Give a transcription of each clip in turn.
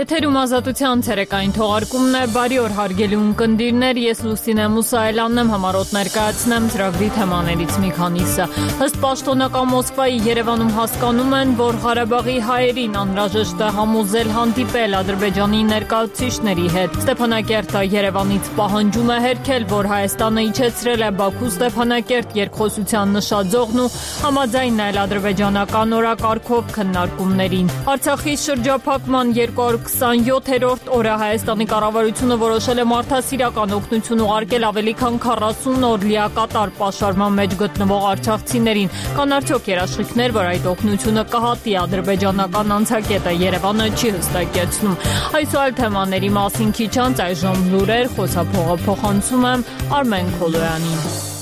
Եթերում ազատության ցերեկային թողարկումն է, բարի օր հարգելի ունկնդիրներ, ես Լուսինե Մուսայելյանն եմ, համառոտ ներկայացնեմ ծրագրի թեմաներից մի քանիսը։ Ըստ պաշտոնական Մոսկվայի Երևանում հասկանում են, որ Ղարաբաղի հայերին անհրաժեշտ է համոզել հանդիպել Ադրբեջանի ներկայացուցիչների հետ։ Ստեփանակերտը Երևանից պահանջում է հերքել, որ Հայաստանը իջեցրել է Բաքու-Ստեփանակերտ երկխոսության նշաձողն ու համաձայնել ադրբեջանական օրակարգով քննարկումներին։ Արցախի շրջափակման 227-րդ օրը Հայաստանի կառավարությունը որոշել է մարդասիրական օգնություն ուղարկել ավելի քան 40 օր լիակատար պաշարման մեջ գտնվող արցախցիներին։ Կան արդյոք երաշխիքներ, որ այդ օգնությունը կհատի ադրբեջանական անցակետը, Երևանը չի հստակեցնում։ Այս ու այլ թեմաների մասին քիչ անց այժմ լուրեր, խոսափողը փոխանցում եմ Արմեն Քոլոյանին։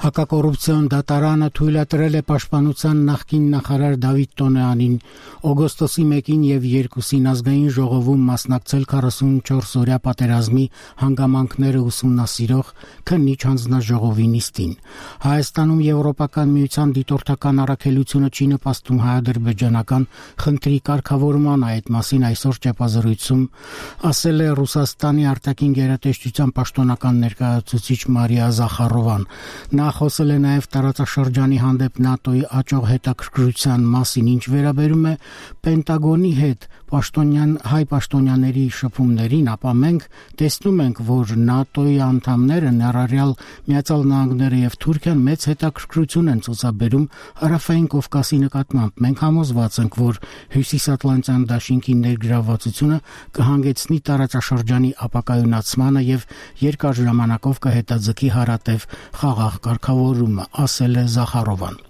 Հակակոռուպցիոն դատարանը թույլատրել է պաշտպանության նախկին նախարար Դավիթ Տոնեանին օգոստոսի 1-ին եւ 2-ին ազգային ժողովում մասնակցել 44-օրյա պատերազմի հանգամանքները ուսումնասիրող քննիչ հանձնաժողովի նիստին։ Հայաստանում Եվրոպական միության դիտորդական առաքելությունը չի նպաստում հայ-ադրբեջանական խնդրի կարգավորման, այդ մասին այսօր ճեպազրույցում ասել է Ռուսաստանի արտաքին գերատեսչության պաշտոնական ներկայացուցիչ Մարիա Զախարովան։ Նա խոսել է նաև տարածաշրջանի հանդեպ ՆԱՏՕ-ի աճող հետաքրքրության մասին, ինչ վերաբերում է Պենտագոնի հետ հայ պաշտոնյաների շփումներին, ապա մենք տեսնում ենք, որ ՆԱՏՕ-ի անդամները, ներառյալ Միացյալ Նահանգները եւ Թուրքիան մեծ հետաքրքրություն են ցուցաբերում Հարավային Կովկասի նկատմամբ։ Մենք համոզված ենք, որ Հյուսիսատլանտյան դաշինքի ներգրավվածությունը կհանգեցնի տարածաշրջանի ապակայունացմանը եւ երկար ժամանակով կհետաձգի հարատև խաղաղ կարգավորումը, ասել է Զախարովան։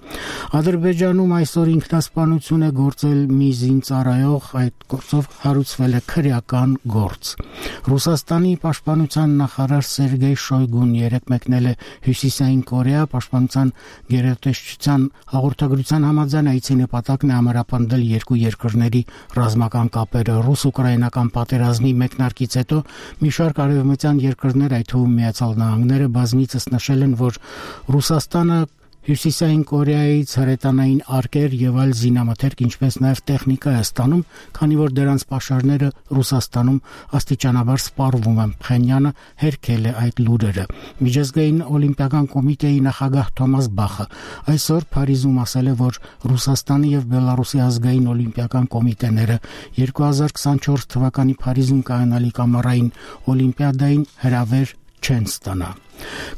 Ադրբեջանում այսօր ինքնասպանություն է գործել մի զինծառայող, այդ գործով հարուցվել է քրեական գործ։ Ռուսաստանի պաշտպանության նախարար Սերգեյ Շոյգուն երեկ մեկնել է Հյուսիսային Կորեա, պաշտպանության գերատեսչության հաղորդագրության համաձայն այցի նպատակն է ամրապնդել երկու երկրների ռազմական կապերը։ Ռուս-ուկրաինական պատերազմի մեկնարկից հետո մի շարք արևմտյան երկրներ, այդ թվում Միացյալ Նահանգները, բազմիցս նշել են, որ Ռուսաստանը Հյուսիսային Կորեայից հրետանային արկեր եւ այլ զինամթերք, ինչպես նաեւ տեխնիկա է ստանում, քանի որ դրանց պաշարները Ռուսաստանում աստիճանաբար սպառվում են։ Փխենյանը հերքել է այդ լուրերը։ Միջազգային օլիմպիական կոմիտեի նախագահ Թոմաս Բախը այսօր Փարիզում ասել է, որ Ռուսաստանի եւ Բելարուսի ազգային օլիմպիական կոմիտեները 2024 թվականի Փարիզում կայանալիք ամառային օլիմպիադային հրավեր չեն ստանա։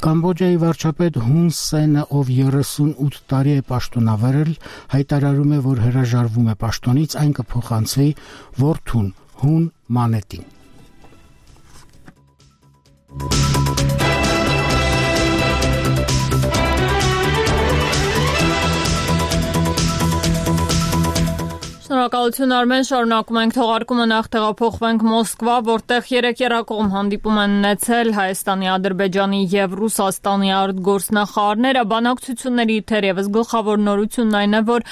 Կամբոջայի վարչապետ Հուն Սենը, ով 38 տարի է պաշտոնավարել, հայտարարում է, որ հրաժարվում է պաշտոնից, այն կփոխանցվի որդուն Հուն Մանետին։ Շնորհակալություն Արմեն, շարունակում ենք թողարկումը, նախ տեղափոխվենք Մոսկվա, որտեղ երեկ երակողմ հանդիպում են ունեցել Հայաստանի, Ադրբեջանի եւ Ռուսաստանի արտգործնախարարները։ Բանակցությունների թերևս գլխավոր նորությունն այն է, որ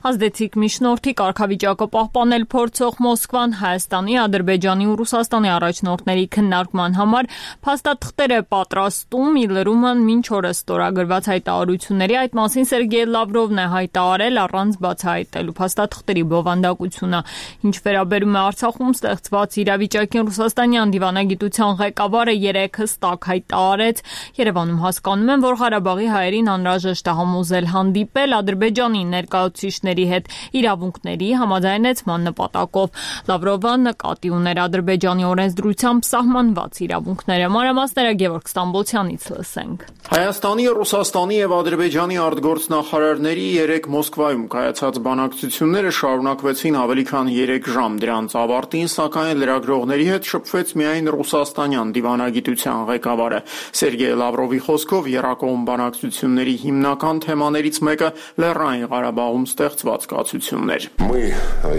ազդեցիկ միջնորդի կարգավիճակը պահպանել փորձող Մոսկվան Հայաստանի, Ադրբեջանի ու Ռուսաստանի առաջնորդների քննարկման համար փաստաթղթեր է պատրաստում, ի լրումն մինչ օրս ստորագրված հայտարարությունների։ Այդ մասին Սերգեյ Լավրովն է հայտարարել առանց բացահայտելու փաստաթղթերի բովանդակությունը։ Ինչ վերաբերում է Արցախում ստեղծված իրավիճակին, Ռուսաստանյան դիվանագիտության ղեկավարը երեկ հստակ հայտարարեց. Երևանում հասկանում են, որ Ղարաբաղի հայերին անհրաժեշտ է համոզել հանդիպել Ադրբեջանի ներկայացուցիչների հետ իրավունքների համաձայնեցման նպատակով։ Լավրովը նկատի ուներ Ադրբեջանի օրենսդրությամբ սահմանված իրավունքները։ Մանրամասները Գևորգ Ստամբոլցյանից լսենք։ Հայաստանի, Ռուսաստանի եւ Ադրբեջանի արտգործնախարարների երեկ Մոսկվայում կայացած բանակցությունները շարունակվեցին ավելի քան 3 ժամ։ Դրանց ավարտին, սակայն լրագրողների հետ շփվեց միայն ռուսաստանյան դիվանագիտության ղեկավարը։ Սերգեյ Լավրովի խոսքով եռակողմ բանակցությունների հիմնական թեմաներից մեկը Լեռնային Ղարաբաղում ստեղծված կացություններ։ Мы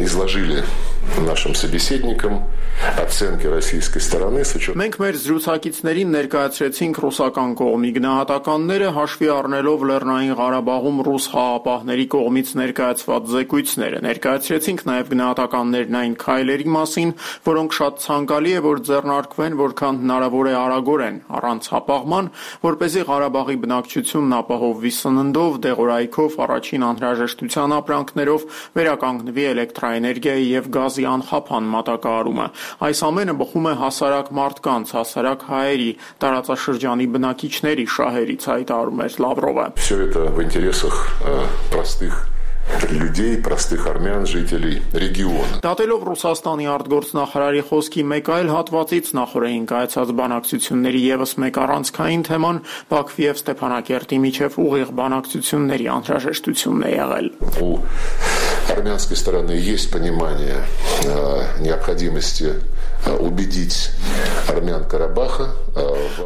изложили нашим собеседникам оценки российской стороны с учетом. Մենք մեր զրուցակիցներին ներկայացրեցինք ռուսական կողմի գնահատականները, հաշվի առնելով Լեռնային Ղարաբաղում ռուս խաղաղապահների կողմից ներկայացված զեկույցները։ Ներկայացրեցինք նաև գնահատականներն այն քայլերի մասին, որոնք շատ ցանկալի է, որ ձեռնարկվեն, որքան հնարավոր է արագորեն, առանց հապաղման, որպեսզի Ղարաբաղի բնակչությունն ապահովվի սննդով, դեղորայքով, առաջին անհրաժեշտության ապրանքներով, վերականգնվի էլեկտրաէներգիայի եւ գազի անխափան մատակարարումը։ Այս ամենը բխում է հասարակ մարդկանց, հասարակ հայերի, տարածաշրջանի բնակիչների շահերից, հայտարարում էր Լավրովը։ Все это в интересах простых людей, простых армян, жителей региона. Դատելով Ռուսաստանի արտգործնախարարի խոսքի մեկ այլ հատվածից նախորդին կայացած բանակցությունների եւս մեկ առանցքային թեման Բաքվի եւ Ստեփանակերտի միջև ուղիղ բանակցությունների անհրաժեշտությունն է եղել։ У армянской стороны есть понимание необходимости убедить армян Карабаха.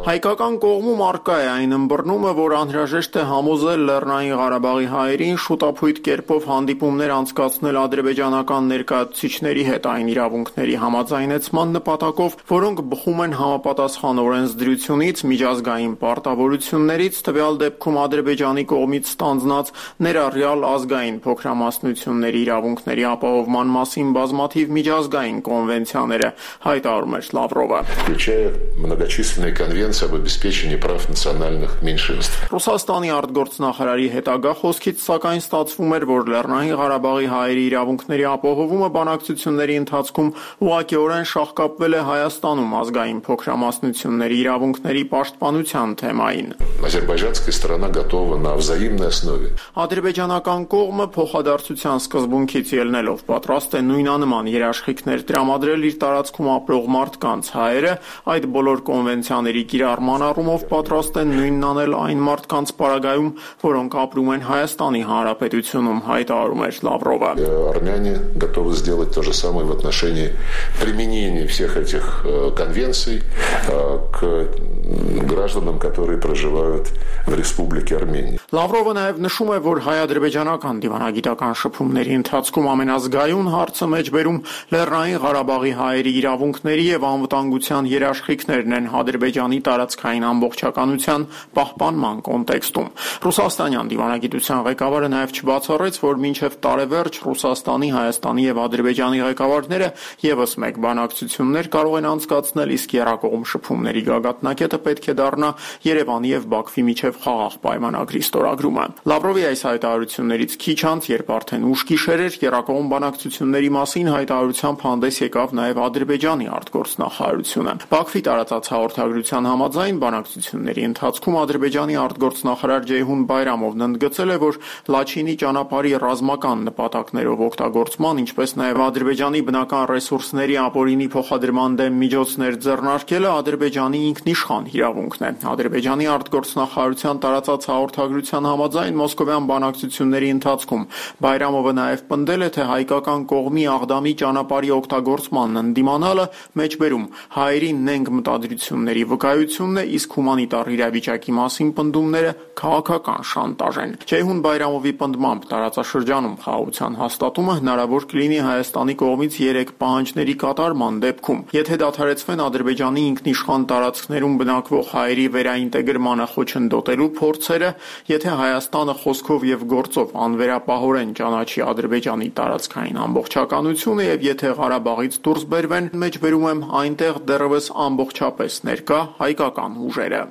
Հայկական կողմում արկա է այն ըմբռնումը, որ անհրաժեշտ է համոզել Լեռնային Ղարաբաղի հայերին շուտափույթ կերպով հանդիպումներ անցկացնել ադրբեջանական ներկայացուցիչների հետ այն իրավունքների համաձայնեցման նպատակով, որոնք բխում են համապատասխան օրենսդրությունից, միջազգային պարտավորություններից, տվյալ դեպքում Ադրբեջանի կողմից ստանձնած ներառյալ ազգային փոքրամասնությունների իրավունքների ապահովման մասին բազմաթիվ միջազգային կոնվենցիաները, հայտարարում էր Լավրովը։ Включая многочисленные конвенции об обеспечении прав национальных меньшинств. Ռուսաստանի արտգործնախարարի հետագա խոսքից սակայն ստացվում էր, որ Լեռնային Ղարաբաղի հայերի իրավունքների ապահովումը բանակցությունների ընթացքում ուղղակիորեն շահկապվել է Հայաստանում ազգային փոքրամասնությունների իրավունքների պաշտպանության թեմային։ Азербайджанская сторона готова на взаимной основе. Ադրբեջանական կողմը փոխադարձության սկզբունքից ելնելով պատրաստ է նույնանման երաշխիքներ տրամադրել իր տարածքում ապրող մարդկանց հայերը, այդ բոլոր կոնվենցիաների կիրառման առումով պատրաստ են նույնն անել այն մարդկանց պարագայում, որոնք ապրում են Հայաստանի Հանրապետությունում, հայտարարում էր Լավրովը։ Армяне готовы сделать то же самое в отношении применения всех этих конвенций к гражданам, которые проживают в Республике Армения. Լավրովը նաև նշում է, որ հայ-ադրբեջանական դիվանագիտական շփումների ընթացքում ամենազգայուն հարցը մեջբերում Լեռնային Ղարաբաղի հայերի իրավունքների եւ անվտանգության երաշխիքներն են Ադրբեջանի տարածքային ամբողջականության պահպանման կոնտեքստում։ Ռուսաստանյան դիվանագիտության ղեկավարը նաև չբացառեց, որ մինչև տարեվերջ Ռուսաստանի, Հայաստանի եւ Ադրբեջանի ղեկավարները եւս մեկ բանակցություններ կարող են անցկացնել, իսկ եռակողմ շփումների գագաթնակետը պետք է դառնա Երևանի եւ Բաքվի միջև խաղաղ պայմանագրի ստորագրումը։ Լավրովի այս հայտարարություններից քիչ անց, երբ արդեն ուշ գիշեր էր, եռակողմ բանակցությունների մասին հայտարարությամբ հանդես եկավ նաև Ադրբեջանի արտգործնախարարությունը։ Բաքվի տարածած հաղորդագրության համաձայն բանակցությունների ընթացքում Ադրբեջանի արտգործնախարար Ջեյհուն Բայրամովն ընդգծել է, որ Լաչինի ճանապարհի ռազմական նպատակներով օգտագործման, ինչպես նաև Ադրբեջանի բնական ռեսուրսների ապօրինի փոխադրման դեմ միջոցներ ձեռնարկելը Ադրբեջանի ինքնիշխան իրավունքն է։ Ադրբեջանի արտգործնախարարության տարածած հաղորդագրության համաձայն մոսկովյան բանակցությունների ընթացքում Բայրամովը նաև պնդել է, թե հայկական կողմի Աղդամի ճանապարհի օգտագործմանն ընդդիմանալը մեջբերում հայերի նենգ մտադրությունների վկայությունն է, իսկ հումանիտար իրավիճակի մասին պնդումները քաղաքական շանտաժ են։ Ջեյհուն Բայրամովի պնդմամբ տարածաշրջանում խաղաղության հաստատումը հնարավոր կլինի Հայաստանի կողմից 3 պահանջների կատարման դեպքում, եթե դադարեցվեն Ադրբեջանի ինքնիշխան տարածքներում բնակվող հայերի վերաինտեգրմանը խոչընդոտելու փորձերը, եթե Հայաստանը խոսքով եւ գործով անվերապահորեն ճանաչի Ադրբեջանի տարածքային ամբողջականությունը եւ եթե Ղարաբաղից դուրս բերվեն, մեջբերում եմ այնտեղ դեռևս ամբողջապես ներկա հայկական ուժերը։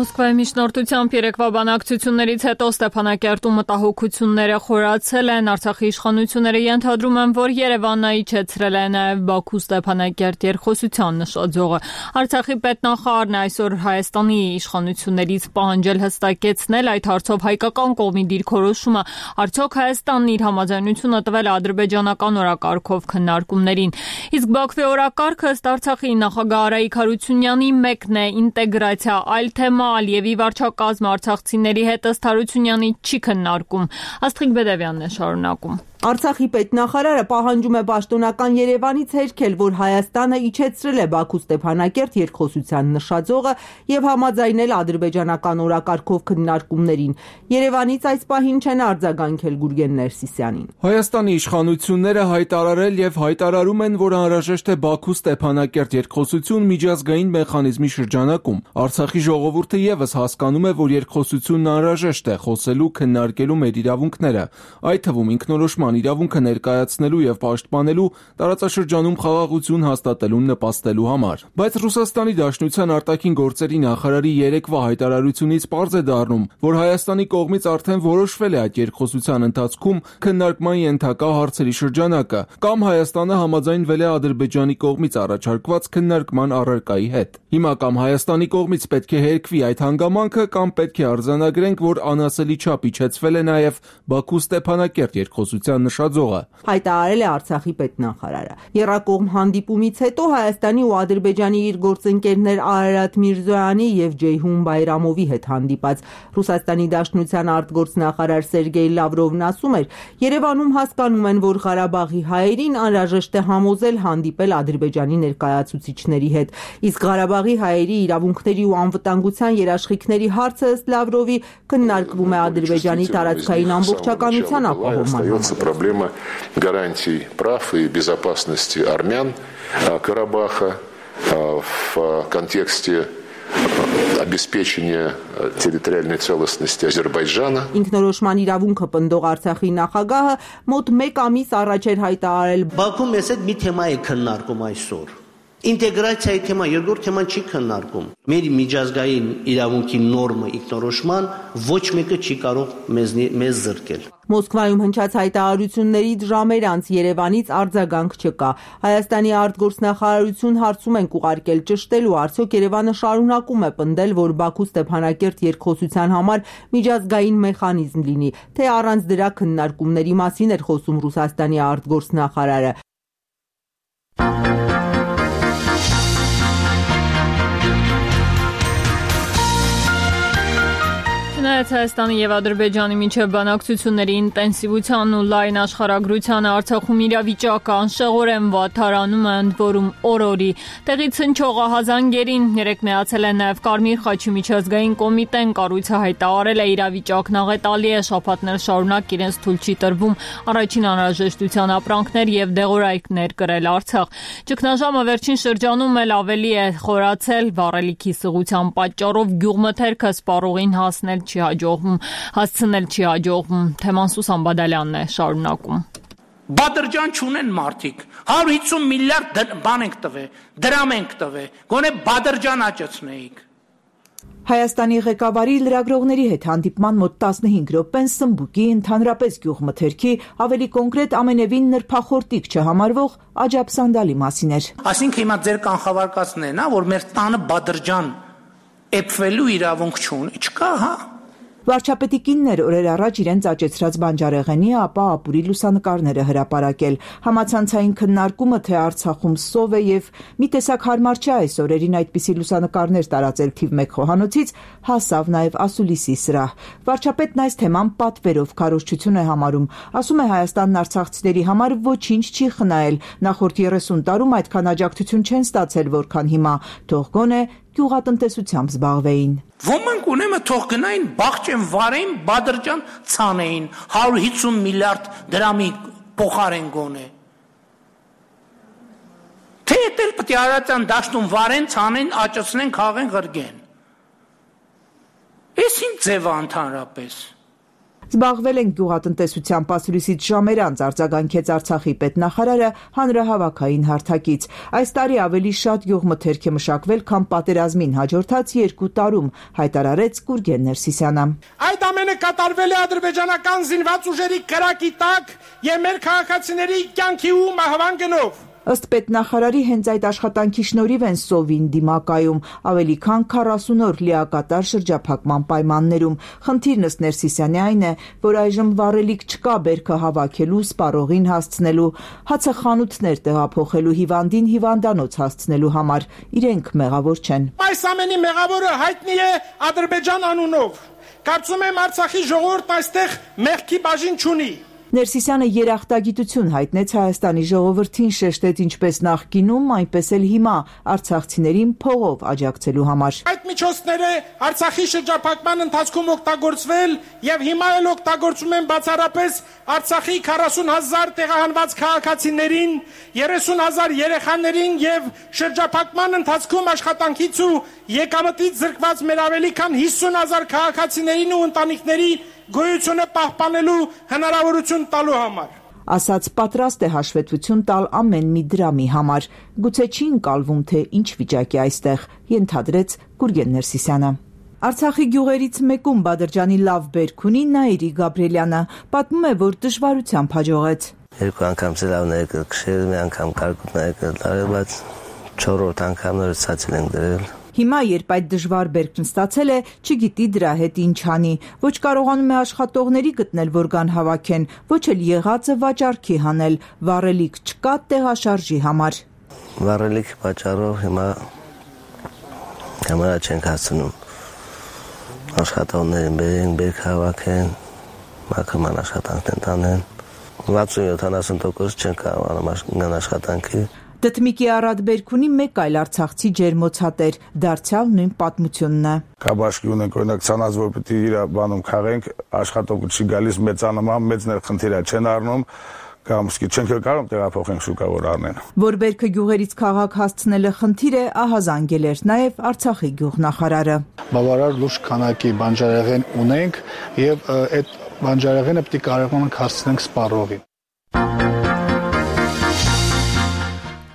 Մոսկվայի միջնորդությամբ երեկվա բանակցություններից հետո Ստեփանակերտում մտահոգությունները խորացել են, Արցախի իշխանությունները ենթադրում են, որ Երևանը իջեցրել է նաև Բաքու-Ստեփանակերտ երկխոսության նշաձողը։ Արցախի պետնախարարն այսօր Հայաստանի իշխանություններից պահանջել հստակեցնել այդ հարցով հայկական կողմի դիրքորոշումը, արդյոք Հայաստանն իր համաձայնությունը տվել ադրբեջանական օրակարգով քննարկումներին։ Իսկ Բաքվի օրակարգը ըստ Արցախի նախագահ Արայիկ Հարությունյանի մեկն է ինտեգրացիա, այլ թեմա Ալիևի վարչակազմը արցախցիների հետ ըստ Հարությունյանի չի քննարկում։ Աստղիկ Բեդևյանն է շարունակում։ Արցախի պետնախարարը պահանջում է պաշտոնական Երևանից հերքել, որ Հայաստանը իջեցրել է Բաքու-Ստեփանակերտ երկխոսության նշաձողը եւ համաձայնել ադրբեջանական օրակարգով քննարկումներին։ Երևանից այս պահին չեն արձագանքել Գուրգեն Ներսիսյանին։ Հայաստանի իշխանությունները հայտարարել եւ հայտարարում են, որ անհրաժեշտ է Բաքու-Ստեփանակերտ երկխոսություն միջազգային մեխանիզմի շրջանակում։ Արցախի ժողովուրդը եւս հասկանում է, որ երկխոսությունն անհրաժեշտ է խոսելու, քննարկելու մեր իրավունքները, այդ թվում ինքնորոշման իրավունքը ներկայացնելու եւ պաշտպանելու, տարածաշրջանում խաղաղություն հաստատելուն նպաստելու համար։ Բայց Ռուսաստանի Դաշնության արտաքին գործերի նախարարի երեկվա հայտարարությունից պարզ է դառնում, որ Հայաստանի կողմից արդեն որոշվել է այդ երկխոսության ընթացքում քննարկման ենթակա հարցերի շրջանակը, կամ Հայաստանը համաձայնվել է Ադրբեջանի կողմից առաջարկված քննարկման առարկայի հետ։ Հիմա կամ Հայաստանի կողմից պետք է հերքվի այդ հանգամանքը, կամ պետք է արձանագրենք, որ անասելի չափ իջեցվել է նաեւ Բաքու-Ստեփանակերտ երկխոսության նշաձողը, հայտարարել է Արցախի պետնախարարը։ Եռակողմ հանդիպումից հետո Հայաստանի ու Ադրբեջանի իր գործընկերներ Արարատ Միրզոյանի եւ Ջեյհուն Բայրամովի հետ հանդիպած Ռուսաստանի Դաշնության արտգործնախարար Սերգեյ Լավրովն ասում էր, Երևանում հասկանում են, որ Ղարաբաղի հայերին անհրաժեշտ է համոզել հանդիպել Ադրբեջանի ներկայացուցիչների հետ, իսկ Ղարաբաղի հայերի իրավունքների ու անվտանգության երաշխիքների հարցը ըստ Լավրովի քննարկվում է Ադրբեջանի տարածքային ամբողջականության ապահովման проблема гарантий прав и безопасности армян Карабаха в контексте обеспечения территориальной целостности Ադրբեջանը։ Ինքնորոշման իրավունքը պնդող Արցախի նախագահը մոտ 1 ամիս առաջ էր հայտարարել Բաքվում էս այդ մի թեմա է քննարկում այսօր։ Ինտեգրացիայի թեմա, երկրորդ թեման չի քննարկում։ Մեր միջազգային իրավունքի նորմը ինքնորոշման ոչ մեկը չի կարող մեզ զրկել։ Մոսկվայում հնչած հայտարարությունների ժամեր անց Երևանից արձագանք չկա։ Հայաստանի արտգործնախարարություն հարցում ենք ուղարկել ճշտելու, արդյոք Երևանը շարունակում է պնդել, որ Բաքու-Ստեփանակերտ երկխոսության համար միջազգային մեխանիզմ լինի, թե առանց դրա քննարկումների մասին էր խոսում Ռուսաստանի արտգործնախարարը։ Չնայած Հայաստանի եւ Ադրբեջանի միջև բանակցությունների ինտենսիվության ու լայն աշխարհագրությանը Արցախում իրավիճակը անշեղորեն վատթարանում է, ընդ որում օր-օրի տեղից հնչող ահազանգերին երեք միացել է նաեւ Կարմիր խաչի միջազգային կոմիտեն, կառույցը հայտարարել է իրավիճակն աղետալի է, շաբաթներ շարունակ իրենց թույլ չի տրվում առաջին անհրաժեշտության ապրանքներ եւ դեղորայքներ կրել Արցախ։ Ճգնաժամը վերջին շրջանում էլ ավելի է խորացել, վառելիքի սղության պատճառով գյուղմթերքը սպառողին հասցնել չի հաջողվում։ Թեման Սուսան Բադալյանն է շարունակում։ Բադրջան չունեն մարդիկ, 150 միլիարդ բան ենք տվել, դրամ ենք տվել, գոնե բադրջան աճեցնեիք։ Հայաստանի ղեկավարի լրագրողների հետ հանդիպման մոտ 15 րոպեն սմբուկի, ընդհանրապես գյուղմթերքի, ավելի կոնկրետ ամենևին նրբախորտիկ չհամարվող աջափսանդալի մասին էր։ Այսինքն հիմա ձեր կանխավարկածն է, որ մեր տանը բադրջան էփվելու իրավունք չկա, հա։ Վարչապետի կինն էր օրեր առաջ իրենց աճեցրած բանջարեղենի, ապա ապուրի լուսանկարները հրապարակել։ Համացանցային քննարկումը, թե Արցախում սով է եւ մի տեսակ հարմար չէ այս օրերին այդպիսի լուսանկարներ տարածել թիվ 1 խոհանոցից, հասավ նաեւ ասուլիսի սրահ։ Վարչապետն այս թեման պատվերով քարոզչություն է համարում։ Ասում է Հայաստանն արցախցիների համար ոչինչ չի խնայել։ Նախորդ 30 տարում այդքան աջակցություն չեն ստացել, որքան հիմա, թող գոնե գյուղատնտեսությամբ զբաղվեին։ Ոմանք ունեմը թող գնային բաղճեն վարեին, բադրջան ցանեին, 150 միլիարդ դրամի փոխարեն գոնե։ Թե էլ պետք է Արարատյան դաշտում վարեն, ցանեն, աճեցնեն, քաղեն, ղրգեն։ Էս ինչ ձև է ընդհանրապես։ Զբաղվել են գյուղատնտեսությամբ ասուլիսից ժամեր անց արձագանքեց Արցախի պետնախարարը հանրահավաքային հարթակից։ Այս տարի ավելի շատ գյուղմթերք է մշակվել, քան պատերազմին հաջորդած 2 տարում, հայտարարեց Գուրգեն Ներսիսյանը։ Այդ ամենը կատարվել է ադրբեջանական զինված ուժերի կրակի տակ եւ մեր քաղաքացիների կյանքի ու մահվան գնով։ Ըստ պետնախարարի հենց այդ աշխատանքի շնորհիվ են սովին դիմակայում, ավելի քան 40 օր լիակատար շրջափակման պայմաններում։ Խնդիրն ըստ Ներսիսյանի այն է, որ այժմ վառելիք չկա բերքը հավաքելու, սպառողին հասցնելու, հացախանութներ տեղափոխելու, հիվանդին հիվանդանոց հասցնելու համար։ Իրենք մեղավոր չեն։ Այս ամենի մեղավորը հայտնի է Ադրբեջան անունով։ Կարծում եմ Արցախի ժողովուրդն այստեղ մեղքի բաժին չունի։ Ներսիսյանը երախտագիտություն հայտնեց Հայաստանի ժողովրդին, շեշտեց ինչպես նախկինում, այնպես էլ հիմա արցախցիներին փողով աջակցելու համար։ Այդ միջոցները Արցախի շրջափակման ընթացքում օգտագործվել եւ հիմա էլ օգտագործում են բացառապես Արցախի 40,000 տեղահանված քաղաքացիներին, 30,000 երեխաներին եւ շրջափակման ընթացքում աշխատանքից ու եկամտից զրկված մեր ավելի քան 50,000 քաղաքացիներին ու ընտանիքների գոյությունը պահպանելու հնարավորություն տալու համար։ Ասաց պատրաստ է հաշվետվություն տալ ամեն մի դրամի համար։ Գուցե չի ընկալվում, թե ինչ վիճակի այստեղ, ենթադրեց Գուրգեն Ներսիսյանը։ Արցախի գյուղերից մեկում Բադրջանի լավ բերք ունի Նաիրի Գաբրելյանը, պատմում է, որ դժվարությամբ հաջողեց։ 2 անգամ սելավներ կշել, մի անգամ կարկուտներ կտարել, բայց 4-րդ անգամ նորից ցածել ենք դրել։ Հիմա, երբ այդ դժվար բերքն ստացել է, չգիտի դրա հետ ինչ անի, ոչ կարողանում է աշխատողների գտնել, որ գան հավաքեն, ոչ էլ եղածը վաճառքի հանել, վառելիք չկա տեղաշարժի համար։ Վառելիք վաճառով հիմա կամերա չենք հասցնում։ Աշխատողներին բերենք, բերք հավաքեն, մաքրման աշխատանքն տանեն։ 60-70% չեն կարողանում գան աշխատանքի։ Դդմիկի առատ բերք ունի մեկ այլ արցախցի ջերմոցատեր, դարձյալ նույն պատմությունն է։ Կաբաշկի ունենք, օրինակ ցանած, որ պետք է իր բանում քաղենք, աշխատողը չի գալիս, մեծանում, մեծն էլ խնդիր է, չեն առնում, կամ սկի չենք կարող տեղափոխենք շուկա, որ առնեն։ Որ բերքը գյուղերից քաղաք հասցնելը խնդիր է, ահա զանգել էր նաև Արցախի գյուղնախարարը։ Բավարար լուրջ քանակի բանջարեղեն ունենք եւ այդ բանջարեղենը պետք է կարողանանք հասցնենք սպառողին։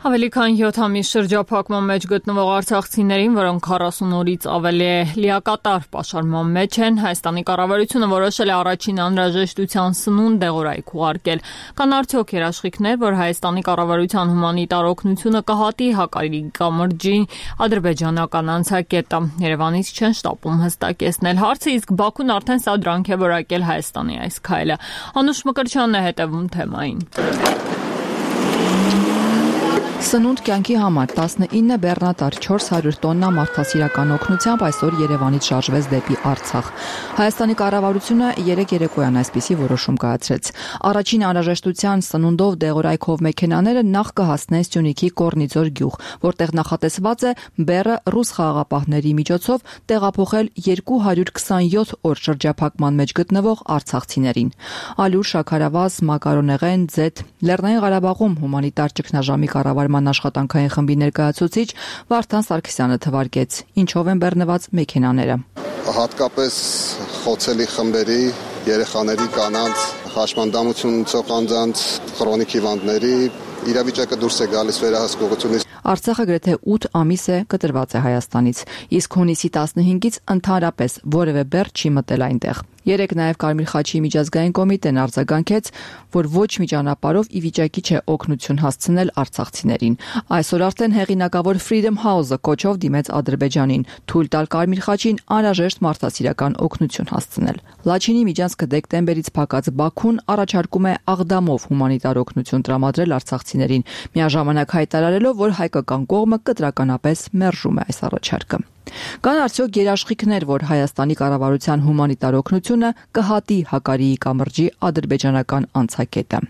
Ավելի քան 7 ամիս շրջափակման մեջ գտնվող արցախցիներին, որոնք 40 օրից ավելի լիակատար պաշարման մեջ են, Հայաստանի կառավարությունը որոշել է առաջին անհրաժեշտության սնունդ դեղորայք ուղարկել։ Կան արդյոք երաշխիքներ, որ Հայաստանի կառավարության հումանիտար օգնությունը կհատի Հակարի կամրջի ադրբեջանական անցակետը։ Երևանից չեն շտապում հստակեցնել հարցը, իսկ Բաքուն արդեն սա դրանք է որակել Հայաստանի այս քայլը։ Անուշ Մկրտչյանն է հետևում թեմային։ Սնունդ կյանքի համար 19 բեռնատար 400 տոննա մարդասիրական օգնությամբ այսօր Երևանից շարժվեց դեպի Արցախ։ Հայաստանի կառավարությունը երեկոյան այսպիսի որոշում կայացրեց։ Առաջին անհրաժեշտության սնունդով դեղորայքով մեքենաները նախ կհասնեն Սյունիքի Կորնիձոր գյուղ, որտեղ նախատեսված է բեռը ռուս խաղաղապահների միջոցով տեղափոխել 227 օր շրջափակման մեջ գտնվող արցախցիներին։ Ալյուր, շաքարավազ, մակարոնեղեն, ձեթ, Լեռնային Ղարաբաղում հումանիտար ճգնաժամի կառավարման աշխատանքային խմբի ներկայացուցիչ Վարդան Սարգսյանը թվարկեց, ինչով են բեռնված մեքենաները։ Հատկապես խոցելի խմբերի, երեխաների, կանանց, հաշմանդամություն ունեցող անձանց, քրոնիկ հիվանդների իրավիճակը դուրս է գալիս վերահսկողությունից։ Արցախը գրեթե 8 ամիս է կտրված է Հայաստանից, իսկ հունիսի 15-ից ընդհանրապես որևէ բեռ չի մտել այնտեղ։ Երեկ նաև Կարմիր խաչի միջազգային կոմիտեն արձագանքեց, որ ոչ մի ճանապարհով ի վիճակի չէ օգնություն հասցնել արցախցիներին։ Այսօր արդեն հեղինակավոր Freedom House-ը կոչով դիմեց Ադրբեջանին թույլ տալ Կարմիր խաչին անհրաժեշտ մարդասիրական օգնություն հասցնել։ Լաչինի միջանցքը դեկտեմբերից փակած Բաքուն առաջարկում է աղդամով հումանիտար օգնություն տրամադրել արցախցիներին, միաժամանակ հայտարարելով, որ հայկական կողմը կտրականապես մերժում է այս առաջարկը։ Կան արդյոք երաշխիքներ, որ Հայաստանի կառավարության հումանիտար օգնությունը կհատի Հակարիի կամրջի ադրբեջանական անցակետը։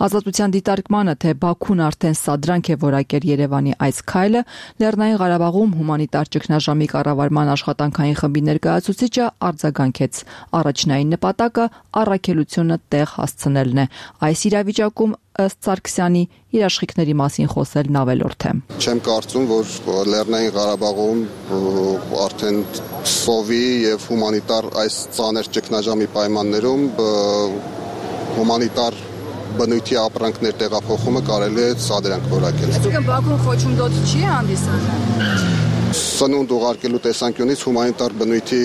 Ազատության դիտարկմանը, թե Բաքուն արդեն սադրանք է որակել Երևանի այս քայլը, Լեռնային Ղարաբաղում հումանիտար ճգնաժամի կառավարման աշխատանքային խմբի ներկայացուցիչը արձագանքեց. առաջնային նպատակը առաքելությունը տեղ հասցնելն է։ Այս իրավիճակում ըստ Սարգսյանի երաշխիքների մասին խոսելն ավելորդ է։ Չեմ կարծում, որ Լեռնային Ղարաբաղում արդեն սովի եւ հումանիտար այս ծանր ճգնաժամի պայմաններում հումանիտար բնույթի ապրանքներ տեղափոխումը կարելի է սադրանք որակել։ Այսինքն Բաքուն խոչընդոտ չի հանդիսանում։ Սնունդ ուղարկելու տեսանկյունից հումանիտար բնույթի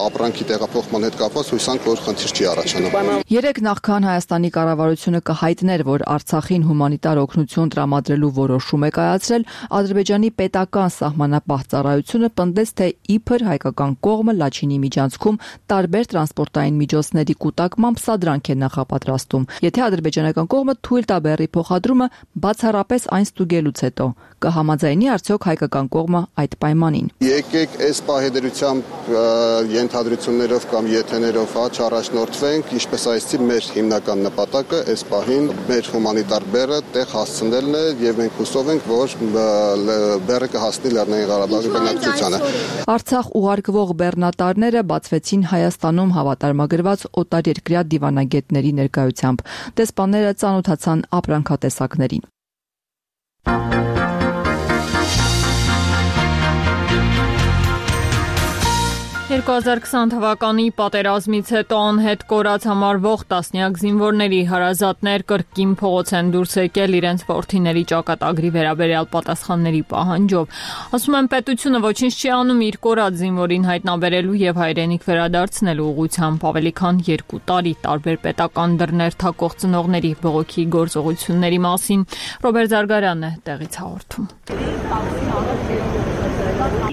ապրանքի տեղափոխման հետ կապված հույսանք, որ խնդիր չի առաջանում։ Երեք նախքան Հայաստանի կառավարությունը կհայտներ, որ Արցախին հումանիտար օգնություն տրամադրելու որոշում է կայացրել, Ադրբեջանի պետական սահմանապահ ծառայությունը պնդեց, թե իբր հայկական կողմը Լաչինի միջանցքում տարբեր տրանսպորտային միջոցների կուտակմամբ սադրանք է նախապատրաստում։ Եթե ադրբեջանական կողմը թույլ տա բեռի փոխադրումը բացառապես այն ստուգելուց հետո, կհամաձայնի արդյոք հայկական կողմը այդ այդ պայմանին։ Եկեք այս պահեդրությամբ ենթադրություններով կամ եթեներով չառաջնորդվենք, ինչպես այսի մեր հիմնական նպատակը այս պահին մեր հումանիտար բեռը տեղ հասցնելն է եւ մենք հուսով ենք, որ բեռը կհասնի Լեռնային Ղարաբաղի բնակչությանը։ Արցախ ուղարկվող բեռնատարները բացվեցին Հայաստանում հավատարմագրված օտարերկրյա դիվանագետների ներկայությամբ։ Դեսպանները ծանոթացան ապրանքատեսակներին։ 2020 թվականի պատերազմից հետո անհետ կորած համարվող տասնյակ զինվորների հարազատներ կրկին փողոց են դուրս եկել իրենց որդիների ճակատագրի վերաբերյալ պատասխանների պահանջով։ Ասում են, պետությունը ոչինչ չի անում իր կորած զինվորին հայտնաբերելու եւ հայրենիք վերադարձնելու ուղղությամբ ավելի քան 2 տարի տարբեր պետական դռներ թակող ծնողների բողոքի գործողությունների մասին Ռոբերտ Զարգարյանն է տեղից հաղորդում։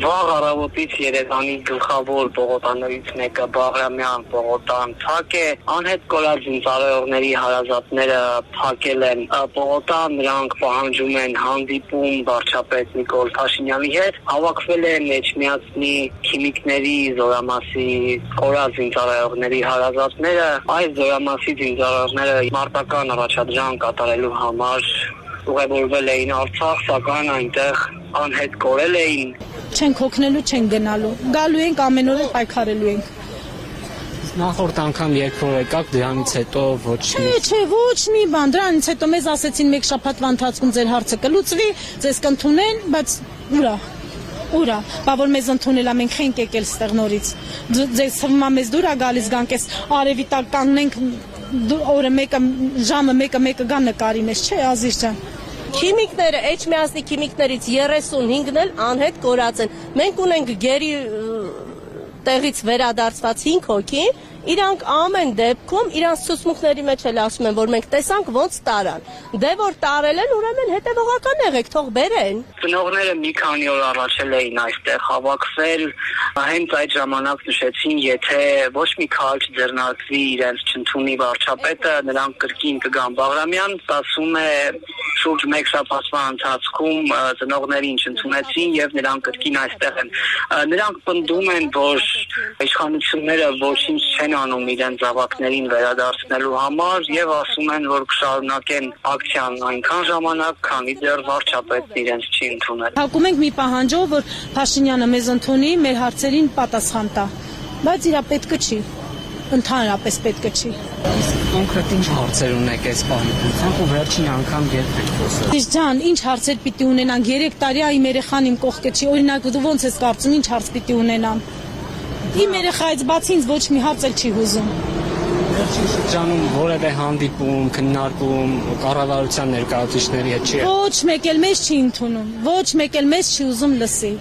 Վաղ առավոտից Երևանի գլխավոր պողոտաներից մեկը Բաղրամյան պողոտան փակ է, անհետ կորած զինծառայողների հարազատները փակել են պողոտան, նրանք պահանջում են հանդիպում վարչապետ Նիկոլ Փաշինյանի հետ, հավաքվել են Էջմիածնի քիմիկների զորամասի կորած զինծառայողների հարազատները, այս զորամասի զինծառայողները մարտական առաջադրանք կատարելու համար ուղևորվել էին Արցախ, սակայն այնտեղ անհետ կորել էին։ Չենք հոգնելու, չենք գնալու։ Գալու ենք ամեն օր պայքարելու ենք։ Նախորդ անգամ երբ որ եկաք դրանից հետո ոչ մի։ Չէ, ոչ մի բան։ Դրանից հետո մեզ ասեցին մեկ շաբաթվա ընթացքում ձեր հարցը կլուծվի, ձեզ կընդունեն, բայց ուրա։ Բա որ մեզ ընդունել ա մենք խենք եկել ստեղ նորից։ Ձեզ թվում ա մեզ դուր ա գալիս գանք էս արևի տակ կանգնենք օրը մեկը ժամը մեկը գա նկարի մեզ, չէ, Ազիզ ջան։ Քիմիկները, Էջմիածնի քիմիկներից 35-ն էլ անհետ կորած են։ Մենք ունենք գերի տեղից վերադարձված 5 հոգի, իրանք ամեն դեպքում իրանց ցուցմունքների մեջ էլ ասում են, որ մենք տեսանք ոնց տարան։ Դե որ տարել են, ուրեմն հետևողական եղեք, թող բերեն։ Ծնողները մի քանի օր առաջ էին այստեղ հավաքվել, հենց այդ ժամանակ նշեցին, եթե ոչ մի քարոզ ձեռնարկվի իրենց չընդունի վարչապետը, նրանք կրկին կգան Բաղրամյան, ասում է շուրջ 1 շաբաթվա ընթացքում ծնողներին չընդունեցին եւ նրանք կրկին այստեղ են։ Նրանք պնդում են, որ իշխանությունները ոչինչ չեն անում իրենց զավակներին վերադարձնելու համար եւ ասում են, որ կշարունակեն ակցիան այնքան ժամանակ, քանի դեռ վարչապետն իրենց չի ընդունել։ Հակում ենք մի պահանջով, որ Փաշինյանը մեզ ընդունի, մեր հարցերին պատասխան տա, բայց իրա պետքը չի։ Ընդհանրապես պետքը չի։ Կոնկրետ ինչ հարցեր ունեք այս պահին, ու վերջին անգամ երբ եք խոսել։ Իսկ ջան, ինչ հարցեր պիտի ունենանք, 3 տարի իմ երեխան իմ կողքը չի, օրինակ դու ոնց ես կարծում, ինչ հարց պիտի ունենամ։ Իմ երեխայից բացի ինձ ոչ մի հարց էլ չի հուզում։ Վերջին շրջանում որևէ հանդիպում, քննարկում կառավարության ներկայացուցիչների հետ չի։ Ոչ մեկ էլ մեզ չի ընդունում, ոչ մեկ էլ մեզ չի ուզում լսի։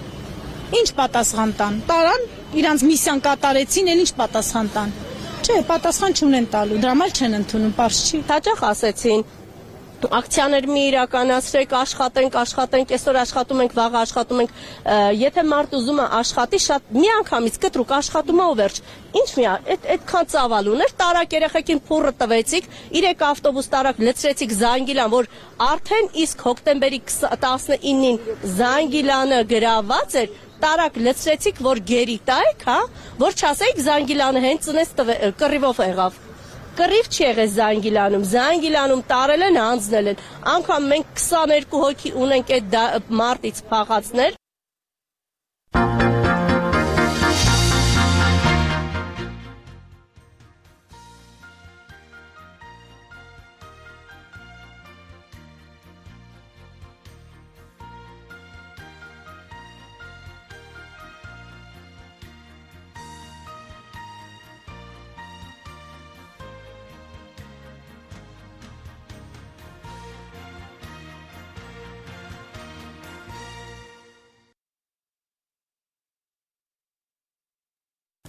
Ինչ պատասխան տան։ Տարան, իրանց միսիան կատարեցին, էլ ինչ պատասխան տան։ Չէ, պատասխան չունեն տալու, դրա մալ չեն ընդունում, պարզ չի։ Հաճախ ասեցին, ակցիաներ մի իրականացրեք, աշխատենք, այսօր աշխատում ենք, վաղ աշխատում ենք, եթե մարդ ուզում է աշխատի, շատ միանգամից կտրուկ աշխատում է ու վերջ։ Ինչ մի այդքան ծավալ ուներ, տարակ երեխեքին փուռը տվեցիք, 3 ավտոբուս տարակ լցրեցիք Զանգիլան, որ արդեն իսկ հոկտեմբերի 19-ին Զանգիլանը գրաված էր, տարակ լցրեցիք, որ գերի տայք, հա, որ չասեիք Զանգիլանը հենց ծնեց կռիվով եղավ։ Կռիվ չի եղել Զանգիլանում տարել են, հանձնել են։ Անգամ մենք 22 հոգի ունենք այդ մարտից փախածներ։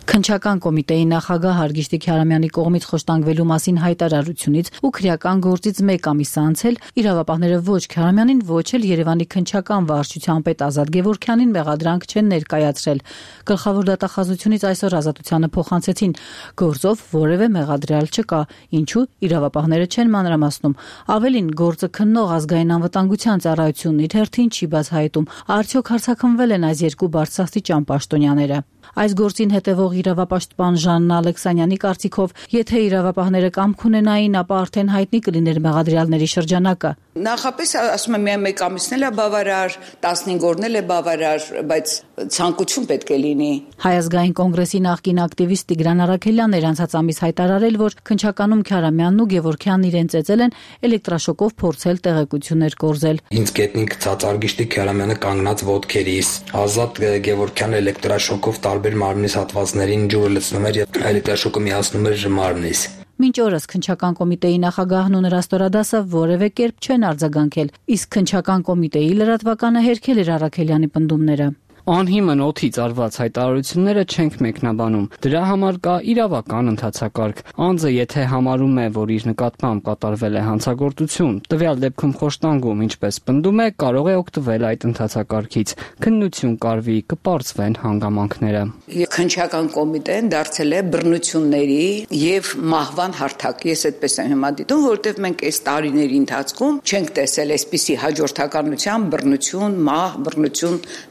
Քննչական կոմիտեի նախագահ Հարգիշտի Քյարամյանի կողմից խոշտանգվելու մասին հայտարարությունից ու քրեական գործից 1 ամիս անցել իրավապահները ոչ Քյարամյանին, ոչ էլ Երևանի քննչական վարչության պետ Ազատ Գևորգյանին մեղադրանք չեն ներկայացրել։ Գլխավոր դատախազությունից այսօր Ազատությանը փոխանցեցին գործով որևէ մեղադրյալ չկա, ինչու իրավապահները չեն մանրամասնում։ Ավելին գործը քննող ազգային անվտանգության ծառայությունն իր հերթին չի բացահայտում, արդյոք հարձակվվել են այս երկու բարձրաստիճան պաշտոնյաները։ Այս գործին հետևող իրավապաշտպան Ժաննա Ալեքսանյանի կարծիքով, եթե իրավապահները կամք ունենային, ապա արդեն հայտնի կլիներ մեղադրյալների շրջանակը։ Նախապես ասում եմ միայն 1 ամիսն էլ է բավարար, 15 օրն էլ է բավարար, բայց ցանկություն պետք է լինի։ Հայ ազգային կոնգրեսի նախկին ակտիվիստ Տիգրան Արաքելյանն էր անցած ամիս հայտարարել, որ քննչականում Քյարամյանն ու Գևորգյանն իրեն ծեծել են էլեկտրաշոկով փորձել տեղեկություններ կորզել։ Ինձ գետնին գցած Արգիշտի Քյարամյանը կանգնած ոտքերիս, Ազատ Գևորգյանը էլեկտրաշոկով տարբեր մարմնիս հատվածներին ջուրը լցնում էր եւ էլեկտրաշոկը միացնում էր մարմնիս։ Մինչ օրս քննչական կոմիտեի նախագահն ու նրա ստորադասը որևէ կերպ չեն արձագանքել, իսկ քննչական կոմիտեի լրատվականը հերքել էր Արաքելյանի պնդումները։ Անհիմն օդից արված հայտարարությունները չենք մեկնաբանում։ Դրա համար կա իրավական ընթացակարգ։ Անձը եթե համարում է, որ իր նկատմամբ կատարվել է հանցագործություն, տվյալ դեպքում խոշտանգում, ինչպես պնդում է, կարող է օգտվել այդ ընթացակարգից։ Քննություն կարվի, կպարզվեն հանգամանքները։ Քննչական կոմիտեն դարձել է բռնությունների եւ մահվան հարթակ։ Ես այդպես եմ հիմա դիտում, որովհետեւ մենք այս տարիների ընթացքում չենք տեսել այսպիսի հաջորդականության բռնություն,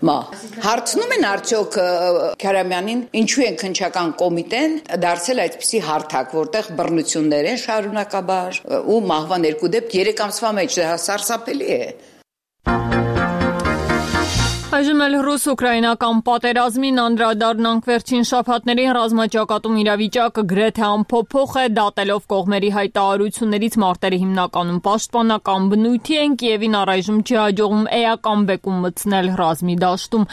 մահ։ Հարցնում են արդյոք Քյարամյանին, ինչու են քննչական կոմիտեն դարձել այդպիսի հարթակ, որտեղ բռնություններ են շարունակաբար ու մահվան 2 դեպք 3 ամսվա մեջ, դա սարսափելի է։ Այժմ էլ ռուս-ուկրաինական պատերազմին անդրադառնանք վերջին շաբաթներին ռազմաճակատում իրավիճակը գրեթե անփոփոխ է, դատելով կողմերի հայտարարություններից մարտերի հիմնականում պաշտպանական բնույթի են, Կիևին առայժմ չի հաջողում էական բեկում մտցնել ռազմի դաշտում։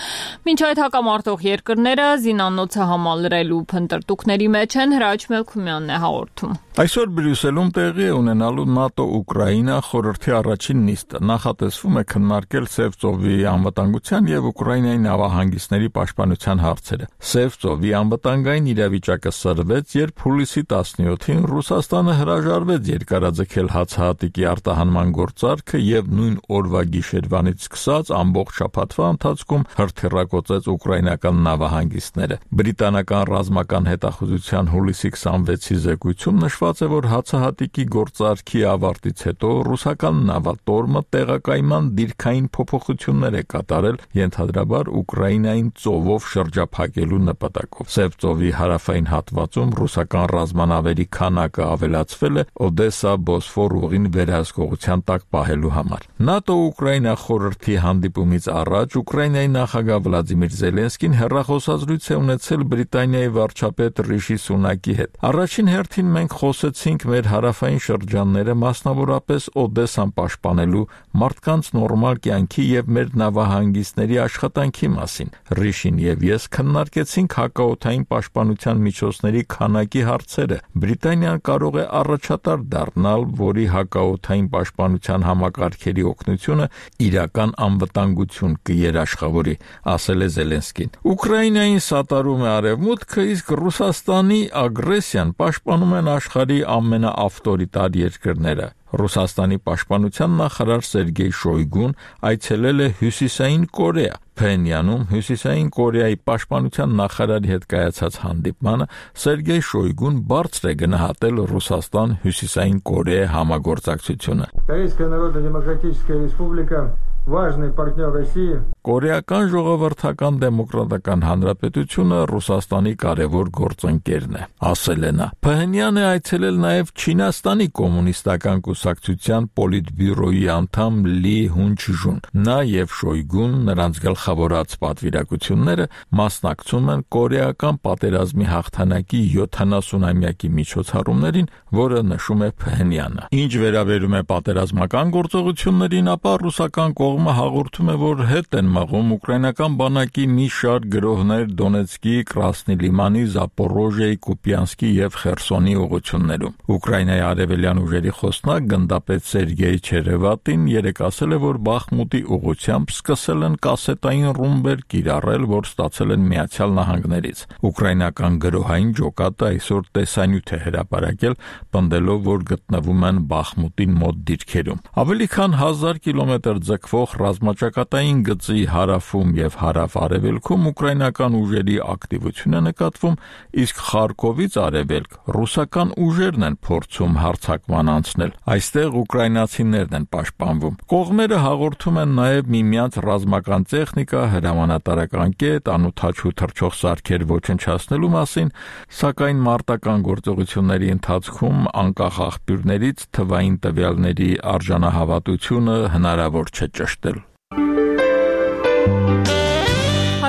Մինչ այդ հակամարտող երկրները զինանոցը համալրելու փնտրտուքների մեջ են, Հրաչ Մելքումյանն է հաղորդում։ Այսօր Բրյուսելում տեղի է ունենալու ՆԱՏՕ-Ուկրաինա խորհրդի առաջին նիստը։ Նախատեսվում է քննարկել Սև ծովի անվտանգության եւ Ուկրաինայի նավահանգիստների պաշտպանության հարցերը։ Սև ծովի անվտանգային իրավիճակը սրվեց, երբ հուլիսի 17-ին Ռուսաստանը հրաժարվեց երկարաձգել հացահատիկի արտահանման գործարքը եւ նույն օրվա գիշերվանից սկսած ամբողջ շաբաթվա ընթացքում հրթիռակոծեց ուկրաինական նավահանգիստները։ Բրիտանական ռազմական հետախուզության հուլիսի 26-ի զեկույցում նշված է, որ հացահատիկի գործարքի ավարտից հետո ռուսական նավատորմը տեղակայման դիրքային փոփոխություններ է կատարել ենթադրաբար Ուկրաինային ծովով շրջափակելու նպատակով։ Սև ծովի հարավային հատվածում ռուսական ռազմանավերի քանակը ավելացվել է Օդեսա Բոսֆոր ուղին վերահսկողության տակ պահելու համար։ ՆԱՏՕ-Ուկրաինա խորհրդի հանդիպումից առաջ Ուկրաինայի նախագահ Վլադիմիր Զելենսկին հեռախոսազրույց է ունեցել Բրիտանիայի վարչապետ Ռիշի Սունակի հետ։ Առաջին հերթին մենք խոսեցինք մեր հարավային շրջանները, մասնավորապես Օդեսան պաշտպանելու, մարդկանց նորմալ կյանքի եւ մեր նավահանգիստների աշխատանքի մասին։ Ռիշին եւ ես քննարկեցինք հակաօդային պաշտպանության միջոցների քանակի հարցերը։ Բրիտանիան կարող է առաջատար դառնալ, որի հակաօդային պաշտպանության համակարգերի օգնությունը իրական անվտանգություն կերաշխավորի, ասել է Զելենսկին։ Ուկրաինային սատարում է Արևմուտքը, իսկ Ռուսաստանի ագրեսիան պաշտպանում են աշխարհի ամենաավտորիտար երկրները։ Ռուսաստանի պաշտպանության նախարար Սերգեյ Շոյգուն այցելել է Հյուսիսային Կորեա։ Փենյանում Հյուսիսային Կորեայի պաշտպանության նախարարի հետ կայացած հանդիպմանը Սերգեյ Շոյգուն բարձր է գնահատել Ռուսաստան-Հյուսիսային Կորեա համագործակցությունը։ Корейская Народно-Демократическая Республика важный партнер России. Կորեական ժողովրդական դեմոկրատական հանրապետությունը Ռուսաստանի կարևոր գործընկերն է, ասել է նա։ Փահենյանը այցելել նաև Չինաստանի կոմունիստական կուսակցության Պոլիտբյուրոյի անդամ Լի Հունչժուն։ Նա եւ Շոյգուն, նրանց գլխավորած պատվիրակությունները մասնակցում են կորեական պատերազմի հաղթանակի 70-ամյակի միջոցառումներին, որը նշում է Փահենյանը։ Ինչ վերաբերում է պատերազմական գործողություններին, ապա ռուսական կողմը կողմը հաղորդում է, որ հետ են մղում ուկրաինական բանակի մի շարք գրոհներ Դոնեցկի, Կրասնի Լիմանի, Զապորոժիայի, Կուպյանսկի եւ Խերսոնի ուղղություններում։ Ուկրաինայի արևելյան ուժերի խոսնակ գնդապետ Սերգեյ Չերևատին երեկ ասել է, որ Բախմուտի ուղղությամբ սկսել են կասետային ռումբեր կիրառել, որ ստացել են Միացյալ Նահանգներից։ Ուկրաինական գրոհային ջոկատը այսօր տեսանյութ է հրապարակել, պնդելով, որ գտնվում են Բախմուտին մոտ դիրքերում։ Ավելի քան 1000 կիլոմետր ձգվող ռազմաճակատային գծի հարավում եւ հարավ-արևելքում ուկրաինական ուժերի ակտիվություն է նկատվում, իսկ Խարկովից արևելք ռուսական ուժերն են փորձում հարձակման անցնել։ Այստեղ ուկրաինացիներն են պաշտպանվում։ Կողմերը հաղորդում են նաեւ միմյանց ռազմական տեխնիկա, հրամանատարական կետ, անօթաչու թռչող սարքեր ոչնչացնելու մասին, սակայն մարտական գործողությունների ընթացքում անկախ աղբյուրներից թվային տվյալների արժանահավատությունը հնարավոր չէ ճշտել։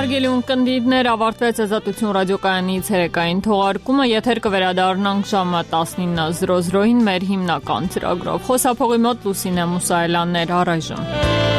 Հարգելի ունկնդիրներ, ավարտվեց Ազատություն ռադիոկայանի ցերեկային թողարկումը, եթեր կվերադառնանք ժամը 19:00-ին մեր հիմնական ծրագրով։ Խոսափողի մոտ Լուսինե Մուսայելյանն էր, առայժմ։